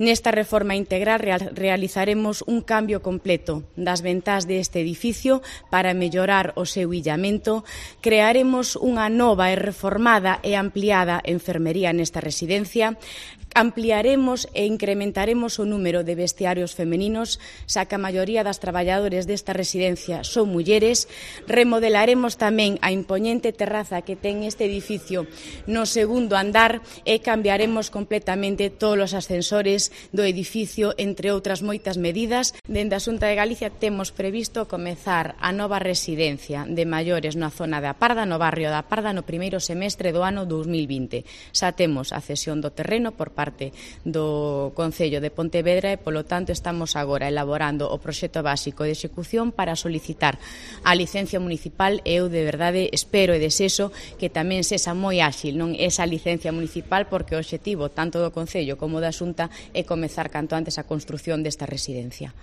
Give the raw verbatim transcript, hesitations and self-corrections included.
Nesta reforma integral realizaremos un cambio completo das ventás deste edificio para mellorar o seu illamento, crearemos unha nova e reformada e ampliada enfermería nesta residencia, ampliaremos e incrementaremos o número de vestiarios femeninos, xa que a maioría das traballadores desta residencia son mulleres, remodelaremos tamén a impoñente terraza que ten este edificio no segundo andar e cambiaremos completamente todos os ascensores do edificio, entre outras moitas medidas. Dende a Xunta de Galicia temos previsto comezar a nova residencia de maiores na zona da Parda, no barrio da Parda, no primeiro semestre do ano dous mil vinte. Xa temos a cesión do terreno por parte do Concello de Pontevedra e, polo tanto, estamos agora elaborando o proxecto básico de execución para solicitar a licencia municipal e eu, de verdade, espero e desexo que tamén sexa moi áxil non esa licencia municipal, porque o obxectivo tanto do Concello como da Xunta é comezar canto antes a construción desta residencia.